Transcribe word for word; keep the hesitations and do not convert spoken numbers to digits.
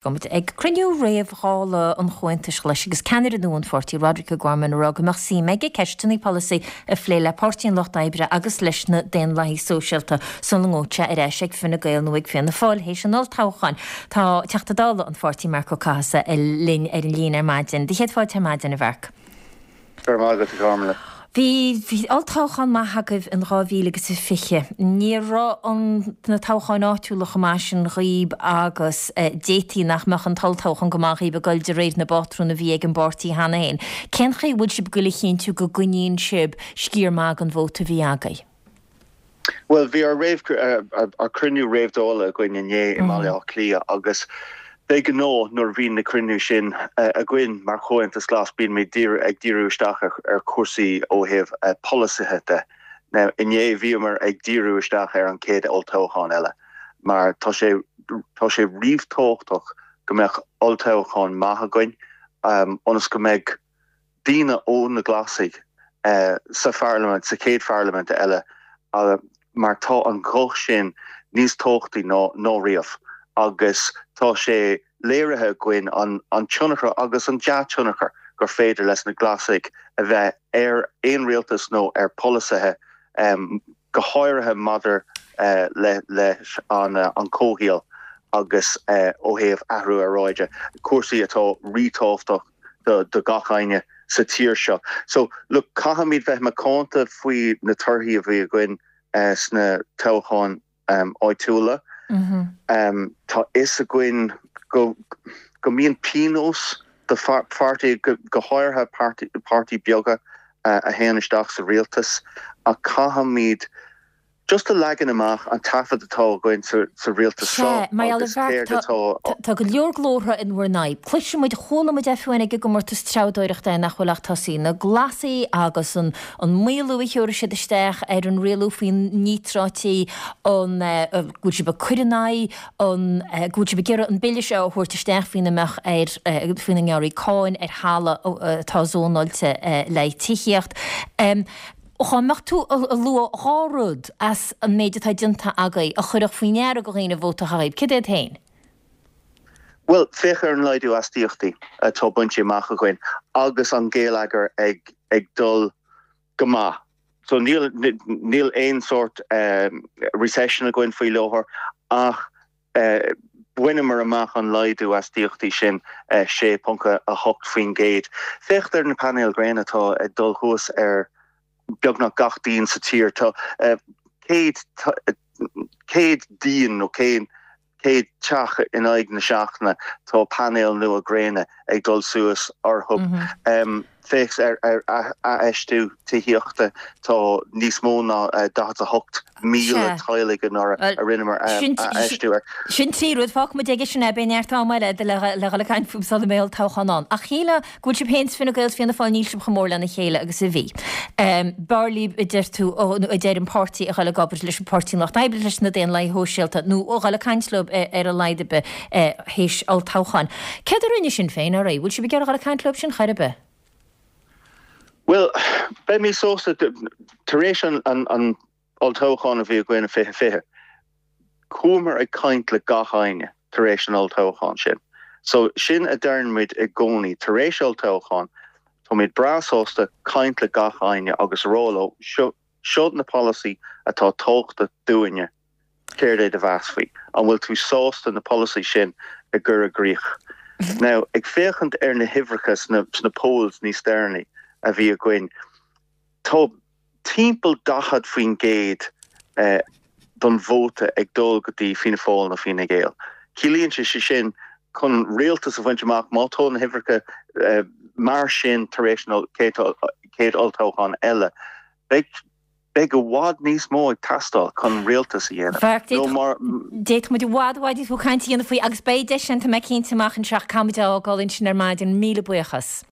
Táimid ag cruinniú réamh-Dhála an Chomhaontais Ghlais agus ceannaire nua an pháirtí Roderic O'Gorman ag rá go mbeadh suim aige ceisteanna polasaí a phlé le Páirtí an Lucht Oibre agus leis na Daonlathaigh Sóisialta sula ngabhfaidh sé ar ais ag Fine Gael nó ag Fianna Fáil théis an olltoghcháin. Tá Teachta Dála an pháirtí Marc Ó Cathasaigh linn ar an líne ar maidin. Do chéad fáilte ar maidin a Mharc. Go Bhí bhí olltoghchán maith agaibh in dhá mhíle agus a fiche. Ní raibh an na toghcháin áitiúla chomh maith sin dhaoib agus d'fhéadfaí nach mbeadh an t-olltoghchán go maith dhaoib ag dul de réir na bpátrún a bhí ag an bpáirtí cheana féin. Cén chaoi a bhfuil sibh ag goil a chinntiú go gcoinníonn sibh sciar maith den vóta a bhí agaibh? Well bhí ár réamh ár cruinniú réamh-Dála againn inné i mBaile Átha Cliath agus de ghnáth nuair a bhíonn na cruinnithe sin againn mar Chomhaontas Glas bíonn muid ag díriú isteach ar chúrsaí ó thaobh polasaithe de. Now inné bhíomar ag díriú isteach ar an chéad olltoghchán eile mar tá sé tá sé ríthábhachtach go mbeadh olltoghchán maith againn ionas go mbeidh daoine ó na Glasaigh sa pharlaimint sa chéad pharlaimint eile mar tá an guth sin níos tábhachtaí ná ná riamh agus tá sé léirithe againn an an tionchar agus an dea-tionchar gur féidir leis na Glasaigh a bheith ar aon rialtas nó ar pholasaithe um, go háirithe maidir uh, le leis an uh, an comhshaol agus uh, ó thaobh athrú aeráide cúrsaí atá ríthábhachtach do, do gach éinne sa tír seo. So look caithfimid bheith macánta faoi na torthaí a bhí againn uh, sna toghcháin um, áitiúla. Mm -hmm. um, tá fhios againn go go mbíonn pionós do pháirtí go, go háirithe páirtí beaga uh, a théann isteach sa rialtas a caithfimid just a leagan amach an taifead atá againn sa, sa rialtas seo Tá go leor glórtha in bhur n-aghaidh. Cloisimid chuala muid fiú ag an gcomórtas treabhdóireachta nach bhfuil ach tosaithe na Glasaigh agus an an maolú a chuir siad isteach ar an rialú faoin níotráití an go bhfuil sibh ag cur in aghaidh an go bhfuil sibh ag iarraidh an bille seo a thabhairt isteach faoina mbeadh ar faoina ngearrfaí cáin ar thalamh atá zónáilte le tithíocht. Um, Dá mbeadh tú ag lua dhá rud as an méid atá déanta agaibh a chuirfeadh faoi ndeara do dhaoine vóta a chaitheamh, Cad iad féin? Well féach ar an laghdú astaíochtaí atá bainte amach againn agus an geilleagar ag ag dul go maith. So níl níl aon sort um, recession againn faoi láthair ach uh, bhaineamar amach an laghdú astaíochtaí sin uh, sé ponc a hocht faoin gcéad. Féach ar na painéil gréine atá ag dul suas ar beagnach gach díon sa tír tá uh, céad céad díon nó céad céad teach in aghaidh na seachtaine tá painéil nua gréine ag dul suas orthu. Mm -hmm. um, Féach ar ar infheistiú tithíochta tá níos mó ná uh, daichead a hocht míle teaghlach a rinneamar infheistiú ar. Sin trí rud fágfaimid aige sin é beidh neart ama le le le caint fúthu sula mbeidh toghchán ann. Ach shílfeá go bhfuil sibh féin Fine Gael Fianna Fáil níl sibh chomh mór lena chéile agus a bhí. Um, B'fhearr libh a deir tú a deir an páirtí a dhul ag obair leis an Páirtí Lucht Oibre leis na Daonlathaigh Shóisialta nó a dhul ag caint leo ar a laghad théis olltoghcháin. Céard a rinne Sinn Féin ar bhfuil sibh ag iarraidh a dhul ag caint leo sin chor ar bith? Well, beidh mé sásta tar éis an an an olltoghchán a bhí againn fiche fiche. Chuamar ag caint le gach éinne tar éis an olltoghchán sin. So sin a deirimid i gcónaí tar éis olltoghchán Táimid breá sásta caint le gach éinne agus rá leo seo seo na polasaithe atá tábhachtach dúinne céard é do mheas faoi an bhfuil tú sásta na polasaithe sin a chur i gcrích. Now ag féachaint ar na huimhreacha sna, sna polls níos deireanaí a bhí againn. Tá timpeall daichead faoin gcéad eh, don vóta ag dul go dtí Fianna Fáil nó Fine Gael. Ciallaíonn sé sé sin chun rialtas a bhaint amach má tá na huimhreacha eh, mar sin tar éis an chéad olltoghchán eile. Beidh beidh i bhfad níos mó ag teastáil chun rialtas a dhéanamh. D'fhéadfadh muid i bhfad i bhfad níos mó caint a dhéanamh faoi agus beidh deis sin tá mé cinnte amach anseo caithfimid a fhágáil ansin ar maidin míle buíochas.